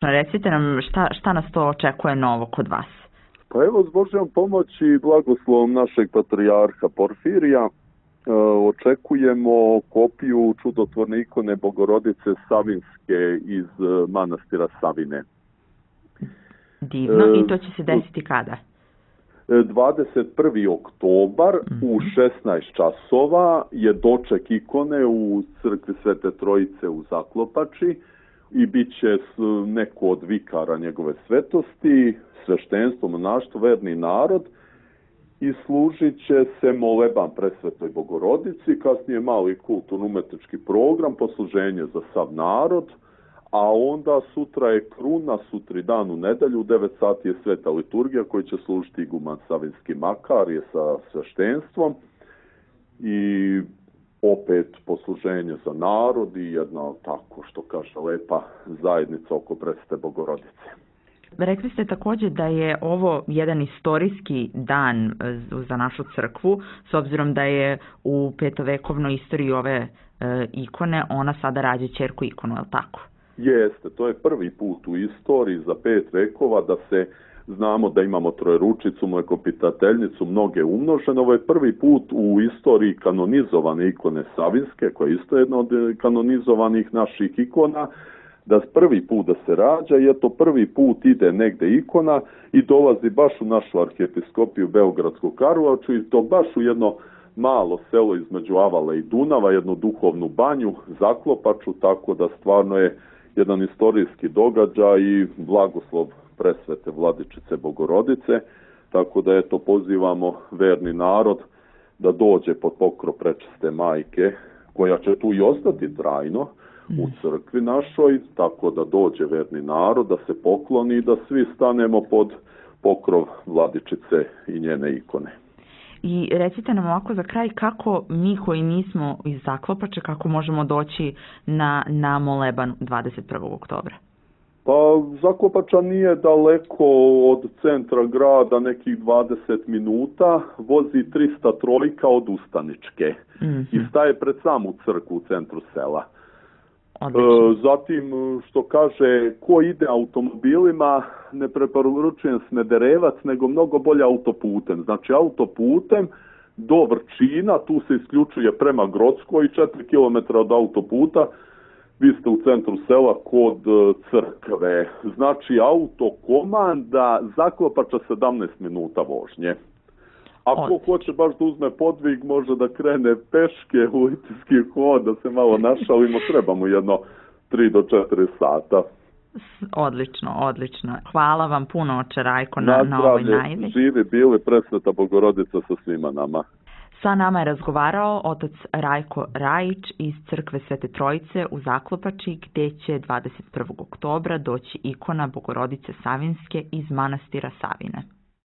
Recite nam šta nas to očekuje novo kod vas? Pa evo, s Božjom pomoći i blagoslovom našeg patrijarha Porfirija očekujemo kopiju čudotvorne ikone Bogorodice Savinske iz manastira Savine. Divno, i to će se desiti kada? 21. oktobar u 16 časova je doček ikone u crkvi Svete Trojice u Zaklopači i bit će neko od vikara njegove svetosti, sveštenstvo, monaštvo, verni narod i služit će se moleban presvetoj Bogorodici, kasnije mali kulturno-umetnički program, posluženje za sav narod, a onda sutra je kruna, sutri dan u nedelju, u 9 sati je sveta liturgija koji će služiti iguman Savinski Makar je sa sveštenstvom i opet posluženje za narod i jedna, tako što kaže, lepa zajednica oko presvete Bogorodice. Rekli ste također da je ovo jedan istorijski dan za našu crkvu, s obzirom da je u petovekovnoj istoriji ove ikone, ona sada rađa ćerku ikonu, je li tako? Jeste, to je prvi put u istoriji za 5 vekova da se znamo da imamo Trojeručicu, Mlekopitateljnicu, mnoge umnožene. Ovo je prvi put u istoriji kanonizovane ikone Savinske, koja je isto jedna od kanonizovanih naših ikona, da prvi put da se rađa i eto prvi put ide negde ikona i dolazi baš u našu arhijepiskopiju Beogradsku Karlovaču i to baš u jedno malo selo između Avala i Dunava, jednu duhovnu banju, Zaklopaču, tako da stvarno je jedan istorijski događaj i blagoslov presvete Vladičice Bogorodice, tako da eto pozivamo verni narod da dođe pod pokrov prečiste majke, koja će tu i ostati trajno u crkvi našoj, tako da dođe verni narod, da se pokloni i da svi stanemo pod pokrov Vladičice i njene ikone. I recite nam ovako za kraj kako mi koji nismo iz Zaklopače, kako možemo doći na moleban 21. oktobra? Pa Zaklopača nije daleko od centra grada, nekih 20 minuta, vozi 300 trojka od Ustaničke i staje pred samu crkvu u centru sela. Zatim, što kaže, ko ide automobilima, ne preporučujem Smederevac, nego mnogo bolje autoputem. Znači, autoputem do Vrčina, tu se isključuje prema Grockoj, 4 km od autoputa, vi ste u centru sela kod crkve. Znači, autokomanda Zaklopača 17 minuta vožnje. Ako hoće baš da uzme podvig, može da krene peške u litijski hod, da se malo našalimo, trebamo jedno 3 do 4 sata. Odlično, odlično. Hvala vam puno, oče Rajko, na ovoj najavi. Živi bili, presveta Bogorodica sa svima nama. Sa nama je razgovarao otac Rajko Rajić iz crkve Svete Trojice u Zaklopači, gdje će 21. oktobra doći ikona Bogorodice Savinske iz manastira Savine.